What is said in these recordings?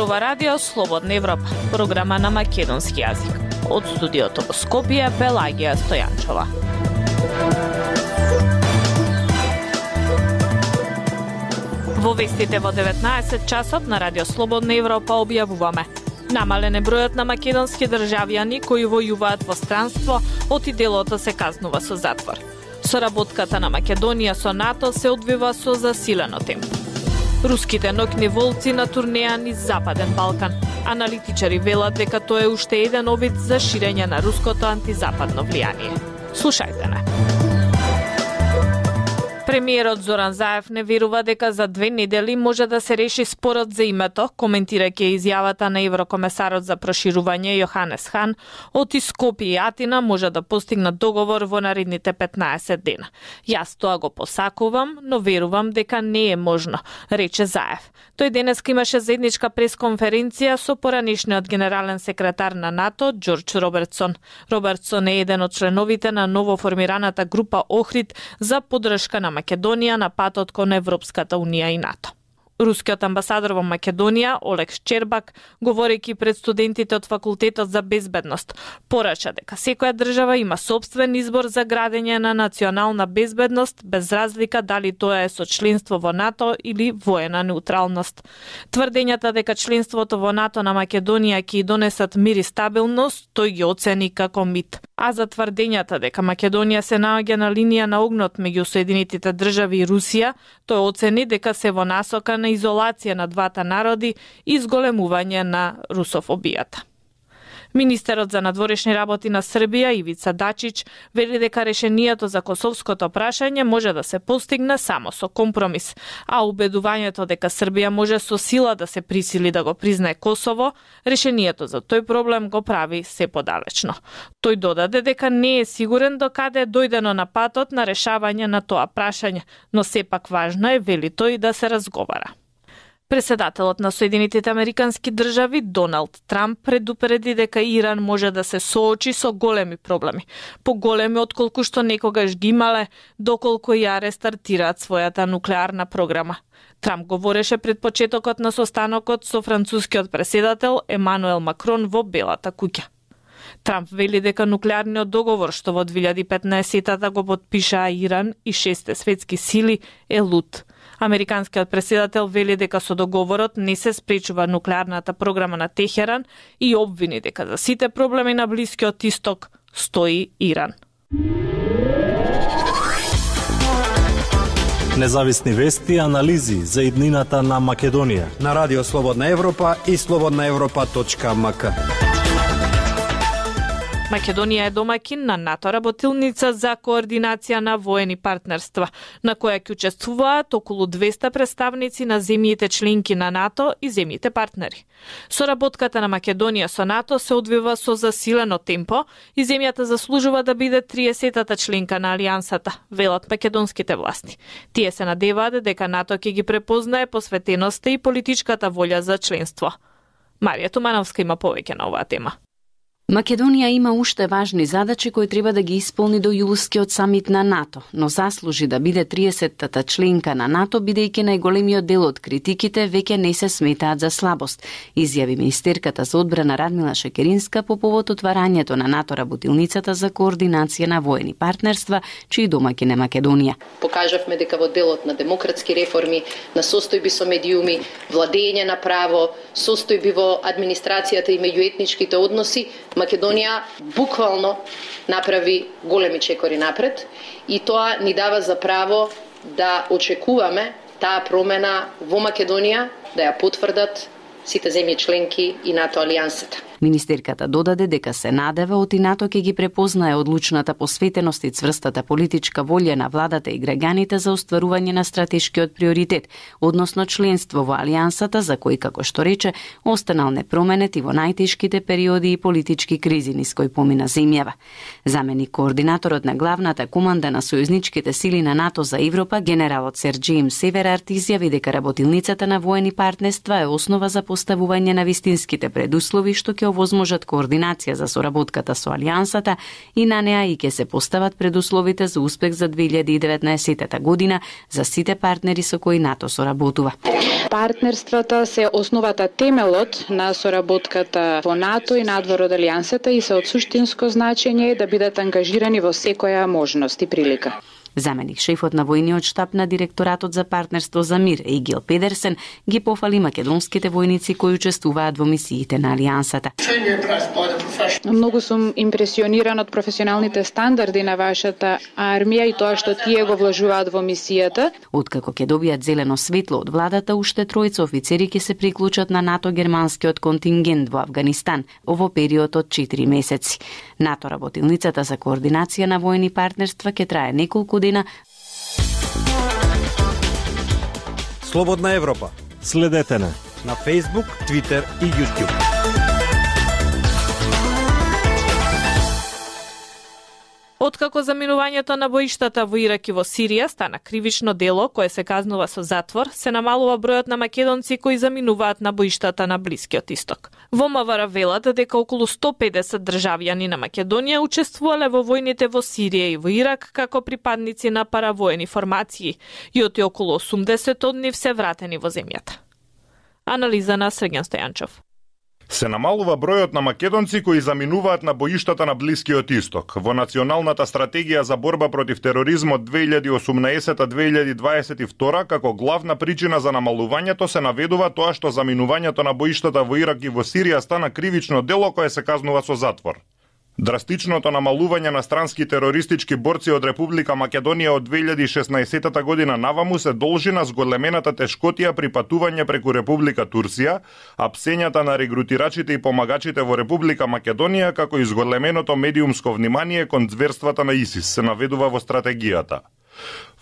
зборува Радио Слободна Европа, програма на македонски јазик. Од студиото во Скопје, Пелагија Стојанчова. Во вестите во 19 часот на Радио Слободна Европа објавуваме: намален е бројот на македонски државјани кои војуваат во странство, оти делото се казнува со затвор. Соработката на Македонија со НАТО се одвива со засилено темпо. Руските ноќни волци на турнеја низ Западен Балкан. Аналитичари велат дека тоа е уште еден обид за ширење на руското антизападно влијание. Слушајте не. Премиерот Зоран Заев не верува дека за 2 недели може да се реши спорот за името, коментирајќи изјавата на еврокомесарот за проширување Јоханес Хан, оти Скопје и Атина може да постигнат договор во наредните 15 дена. Јас тоа го посакувам, но верувам дека не е можно, рече Заев. Тој денес имаше заедничка пресконференција со поранешниот генерален секретар на НАТО Џорџ Робертсон. Робертсон е еден од членовите на новоформираната група Охрид за поддршка на Македонија на патот кон Европската унија и НАТО. Рускиот амбасадор во Македонија, Олег Шчербак, говорејќи пред студентите од Факултетот за безбедност, порача дека секоја држава има сопствен избор за градење на национална безбедност, без разлика дали тоа е со членство во НАТО или воена неутралност. Тврдењата дека членството во НАТО на Македонија ќе донесат мир и стабилност, тој ги оцени како мит. А за тврдењата дека Македонија се наоѓа на линија на огнот меѓу Соединетите држави и Русија, тој оцени дека се во насока на изолација на двата народи и зголемување на русофобијата. Министерот за надворешни работи на Србија Ивица Дачич вели дека решението за косовското прашање може да се постигне само со компромис, а убедувањето дека Србија може со сила да се присили да го признае Косово, решението за тој проблем го прави се подалечно. Тој додаде дека не е сигурен до каде е дојдено на патот на решавање на тоа прашање, но сепак важно е, вели тој, да се разговара. Председателот на Соединетите Американски држави Доналд Трамп предупреди дека Иран може да се соочи со големи проблеми, поголеми отколку што некогаш ги имале доколку ја рестартираат својата нуклеарна програма. Трамп говореше пред почетокот на состанокот со францускиот преседател Емануел Макрон во Белата куќа. Трамп вели дека нуклеарниот договор што во 2015-та го подпишаа Иран и 6 светски сили е луд. Американскиот преседател вели дека со договорот не се спречува нуклеарната програма на Техеран и обвини дека за сите проблеми на Блискиот Исток стои Иран. Независни вести и анализи за иднината на Македонија на Радио Слободна Европа и slobodnaevropa.mk. Македонија е домаќин на НАТО работилница за координација на воени партнерства, на која ќе учествуваат околу 200 представници на земјите членки на НАТО и земјите партнери. Соработката на Македонија со НАТО се одвива со засилено темпо и земјата заслужува да биде 30-та членка на алијансата, велат македонските власти. Тие се надеваат дека НАТО ќе ги препознае посветеноста и политичката волја за членство. Марија Тумановска има повеќе на оваа тема. Македонија има уште важни задачи кои треба да ги исполни до јулскиот самит на НАТО, но заслужи да биде 30-та членка на НАТО, бидејќи најголемиот дел од критиките веќе не се сметаат за слабост, изјави министерката за одбрана Радмила Шекеринска по повод отварањето на НАТО работилницата за координација на воени партнерства, чиј домаќин е Македонија. Покажавме дека во делот на демократски реформи, на состојби со медиуми, владење на право, состојби во администрацијата и меѓуетничките односи, Македонија буквално направи големи чекори напред и тоа ни дава за право да очекуваме таа промена во Македонија да ја потврдат сите земји членки и НАТО алијансата. Министерката додаде дека се надева оти НАТО ќе ги препознае одлучната посветеност и цврстата политичка волја на владата и граѓаните за остварување на стратешкиот приоритет, односно членство во алијансата, за кој, како што рече, останал непроменет и во најтешките периоди и политички кризи низ кои помина земјава. Заменик координаторот на главната команда на сојузничките сили на НАТО за Европа, генералот Сер Джеймс Северард, изјави дека работилницата на воени партнерства е основа за поставување на вистинските предуслови што ќе овозможат координација за соработката со Алијансата и на неа и ќе се постават предусловите за успех за 2019 година за сите партнери со кои НАТО соработува. Партнерствата се основата темелот на соработката во НАТО и надвор од Алијансата и се од суштинско значење да бидат ангажирани во секоја можност и прилика. Заменик шефот на војниот штаб на директоратот за партнерство за мир, Егил Педерсен, ги пофали македонските војници кои учествуваат во мисиите на Алијансата. Многу сум импресиониран од професионалните стандарди на вашата армија и тоа што тие го вложуваат во мисијата. Откако ќе добијат зелено светло од владата, уште тројца офицери ќе се приклучат на НАТО-германскиот контингент во Авганистан во период од 4 месеци. НАТО работилницата за координација на војни партнерства ќе трае неколку дена. Слободна Европа. Следете на Facebook, Twitter и YouTube. Откако заминувањето на боиштата во Ирак и во Сирија стана кривично дело кое се казнува со затвор, се намалува бројот на македонци кои заминуваат на боиштата на Блискиот Исток. Во МВР велат дека околу 150 државјани на Македонија учествувале во војните во Сирија и во Ирак како припадници на паравоени формации и околу 80 од нив се вратени во земјата. Анализа на Сргјан Стојанчов. Се намалува бројот на македонци кои заминуваат на боиштата на Блискиот Исток. Во Националната стратегија за борба против тероризмот 2018-2022 како главна причина за намалувањето се наведува тоа што заминувањето на боиштата во Ирак и во Сирија стана кривично дело кое се казнува со затвор. Драстичното намалување на странски терористички борци од Република Македонија од 2016 година наваму се должи на зголемената тешкотија при патување преку Република Турција, а псењата на регрутирачите и помагачите во Република Македонија како и зголеменото медиумско внимание кон зверствата на ИСИС се наведува во стратегијата.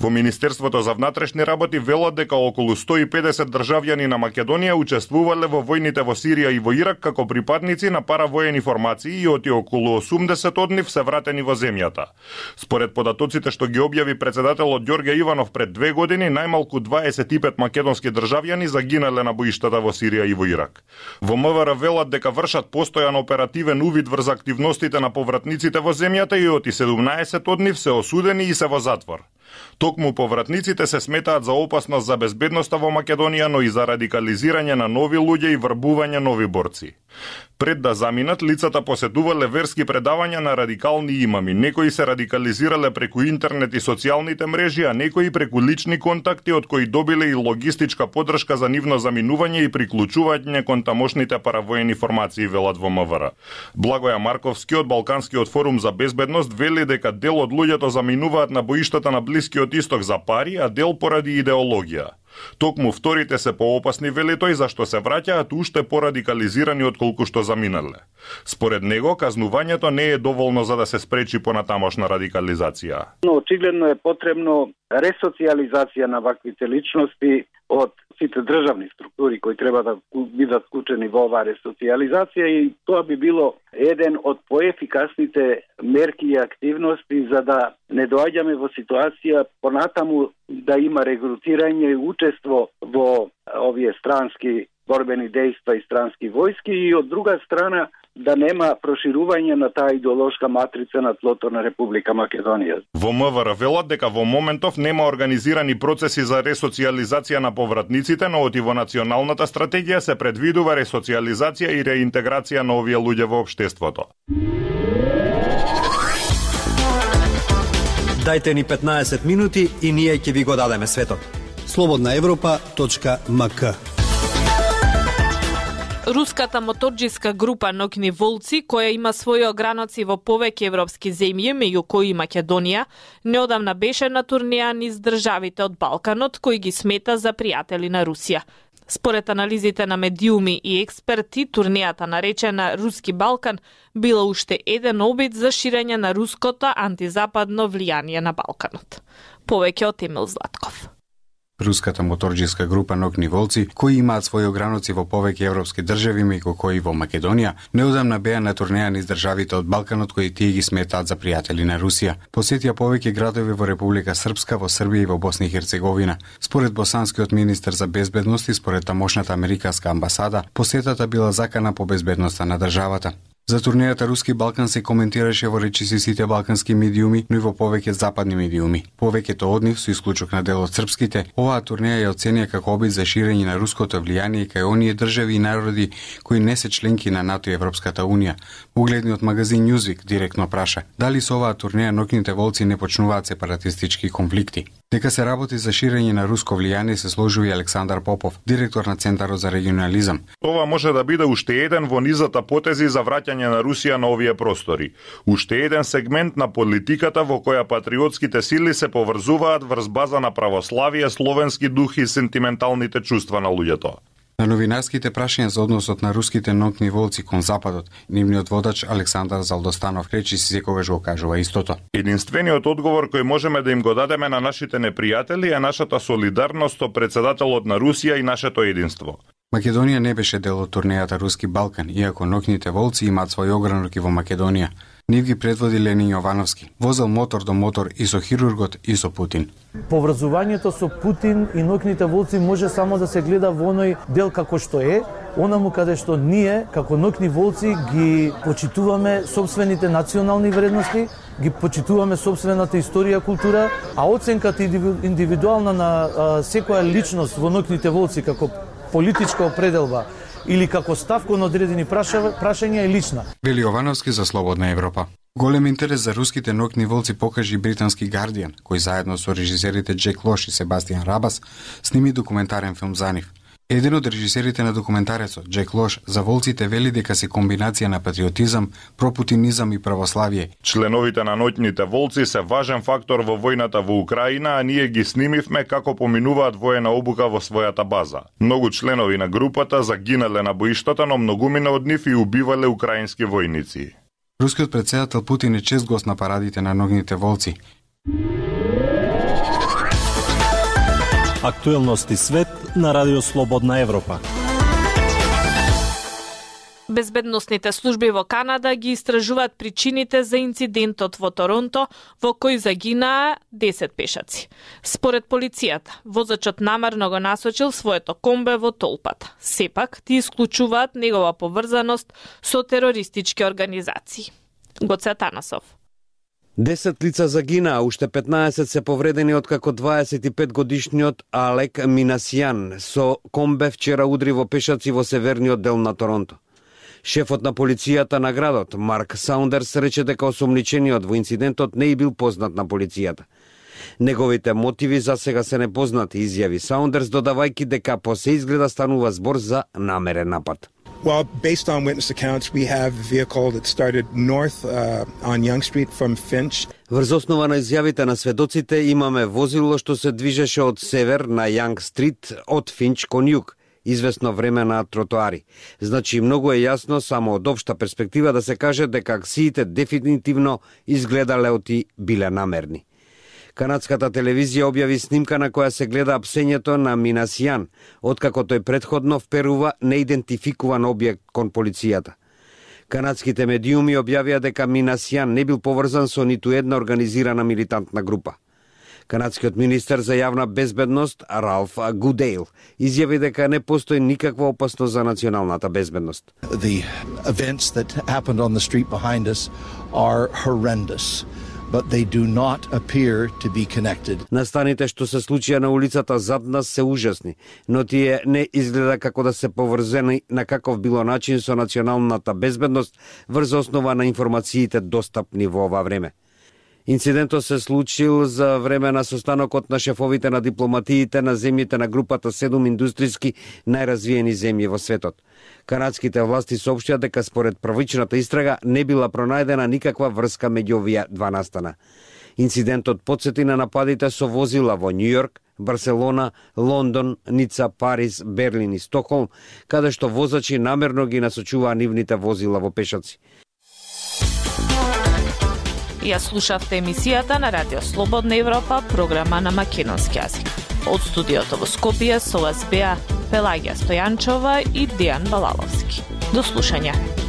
Во Министерството за внатрешни работи велат дека околу 150 државјани на Македонија учествувале во војните во Сирија и во Ирак како припадници на паравоени формации и околу 80 од нив се вратени во земјата. Според податоците што ги објави председателот Ѓорѓе Иванов пред 2 години, најмалку 25 македонски државјани загинале на боиштата во Сирија и во Ирак. Во МВР велат дека вршат постојан оперативен увид врз активностите на повратниците во земјата и 17 од нив се осудени и се во затвор. Токму повратниците се сметаат за опасност за безбедноста во Македонија, но и за радикализирање на нови луѓе и врбување нови борци. Пред да заминат, лицата посетувале верски предавања на радикални имами. Некои се радикализирале преку интернет и социјалните мрежи, а некои преку лични контакти од кои добиле и логистичка поддршка за нивно заминување и приклучување кон тамошните паравоени формации, велат во МВР. Благоја Марковски од Балканскиот форум за безбедност вели дека дел од луѓето заминуваат на боиштата на Блискиот Исток за пари, а дел поради идеологија. Токму вторите се поопасни, вели тој, зашто се враќаат уште порадикализирани отколку што заминале. Според него, казнувањето не е доволно за да се спречи понатамошна радикализација. Но очигледно е потребно ресоциализација на ваквите личности од сите државни структури кои треба да бидат вклучени во оваа ресоциализација и тоа би било еден од поефикасните мерки и активности за да не доаѓаме во ситуација понатаму да има регрутирање и учество во овие странски борбени дејства и странски војски и од друга страна да нема проширување на таа идеолошка матрица на тлото на Република Македонија. Во МВР велат дека во моментов нема организирани процеси за ресоциализација на повратниците, но оти во националната стратегија се предвидува ресоциализација и реинтеграција на овие луѓе во општеството. Дајте ни 15 минути и ние ќе ви го дадеме светот. slobodnaevropa.mk Руската моторџиска група Ноќни волци, која има своји ограноци во повеќе европски земји, меѓу кои и Македонија, неодамна беше на турнеја низ државите од Балканот, кои ги смета за пријатели на Русија. Според анализите на медиуми и експерти, турнејата наречена Руски Балкан била уште еден обид за ширење на руското антизападно влијание на Балканот. Повеќе од Емил Златков. Руската моторџиска група Нокни волци, кои имаат своји ограноци во повеќе европски држави, меѓу кои во Македонија, неодамна беа на турнеја низ државите од Балканот кои тие ги сметаат за пријатели на Русија. Посетија повеќе градови во Република Српска, во Србија и во Босна и Херцеговина. Според босанскиот министер за безбедност и според тамошната американска амбасада, посетата била закана по безбедноста на државата. За турнејата Руски Балкан се коментираше во речиси сите балкански медиуми, но и во повеќе западни медиуми. Повеќето од нив, со исклучок на дел од српските, оваа турнеја ја оценија како обид за ширење на руското влијание кај оние држави и народи кои не се членки на НАТО и Европската унија. Угледниот магазин Newsweek директно праша дали со оваа турнеја Нокните волци не почнуваат сепаратистички конфликти. Дека се работи за ширење на руско влијание се сложува и Александар Попов, директор на Центарот за регионализам. Ова може да биде уште еден во низата потези за враќање на Русија на овие простори. Уште еден сегмент на политиката во која патриотските сили се поврзуваат врз база на православие, словенски дух и сентименталните чувства на луѓето. На новинарските прашања за односот на руските Нокни волци кон Западот, нивниот водач Александар Залдостанов речи си секогаш го кажува истото. Единствениот одговор кој можеме да им го дадеме на нашите непријатели е нашата солидарност со председателот на Русија и нашето единство. Македонија не беше дел од турнејата Руски Балкан, иако Нокните волци имаат свој огранок и во Македонија. Нив ги предводи Ленин Јовановски. Возел мотор до мотор и со хирургот и со Путин. Поврзувањето со Путин и Нокните волци може само да се гледа во оној дел како што е, онаму каде што ние, како Нокни волци, ги почитуваме собствените национални вредности, ги почитуваме собствената историја, култура, а оценката индивидуална на секоја личност во Нокните волци како политичка определба или како став кон одредени прашања е лична. Вели Јовановски за Слободна Европа. Голем интерес за руските Нокни волци покажи и британски Guardian, кој заедно со режисерите Джек Лош и Себастијан Рабас сними документарен филм за нив. Еден од режисерите на документарецот, Джек Лош, за волците вели дека се комбинација на патриотизам, пропутинизам и православие. Членовите на Нокните волци се важен фактор во војната во Украина, а ние ги снимивме како поминуваат воена обука во својата база. Многу членови на групата загинале на боиштата, но многумина од нив и убивале украински војници. Рускиот претседател Путин е чест гост на парадите на Нокните волци. Актуелности свет на Радио Слободна Европа. Безбедносните служби во Канада ги истражуваат причините за инцидентот во Торонто, во кој загинаа 10 пешаци. Според полицијата, возачот намерно го насочил своето комбе во толпата. Сепак, ти исклучуваат негова поврзаност со терористички организации. Гоце Атанасов. 10 лица загинаа, уште 15 се повредени откако 25-годишниот Алек Минасијан со комбе вчера удри во пешаци во северниот дел на Торонто. Шефот на полицијата на градот, Марк Саундерс, рече дека осомничениот во инцидентот не е бил познат на полицијата. Неговите мотиви за сега се непознати, изјави Саундерс, додавајќи дека по се изгледа станува збор за намерен напад. Well, based on witness accounts, we have a vehicle that started north on Young Street from Finch. Врз основа на изјавите на сведоците имаме возило што се движеше од север на Young Street од Финч кон југ, известно време на тротоари. Значи, многу е јасно само од општа перспектива да се каже дека акциите дефинитивно изгледале оти биле намерни. Канадската телевизија објави снимка на која се гледа апсењето на Минасијан, откако тој претходно вперува неидентификуван објект кон полицијата. Канадските медиуми објавија дека Минасијан не бил поврзан со ниту една организирана милитантна група. Канадскиот министер за јавна безбедност Ралф Гудейл изјави дека не постои никаква опасност за националната безбедност. The events that happened on the street behind us are horrendous, but they do not appear to be connected. Настаните што се случија на улицата зад нас се ужасни, но тие не изгледа како да се поврзени на каков било начин со националната безбедност врз основа на информациите достапни во ова време. Инцидентот се случил за време на состанокот на шефовите на дипломатиите на земјите на групата 7 индустријски најразвиени земји во светот. Канадските власти соопштија дека според првичната истрага не била пронајдена никаква врска меѓу овие два настана. Инцидентот потсети на нападите со возила во Њујорк, Барселона, Лондон, Ница, Париз, Берлин и Стокхолм, каде што возачи намерно ги насочуваа нивните возила во пешаци. Ја слушавте емисијата на Радио Слободна Европа, програма на македонски јазик. Од студиото во Скопје со вас беа Пелагија Стојанчова и Дијан Балаловски. До слушање.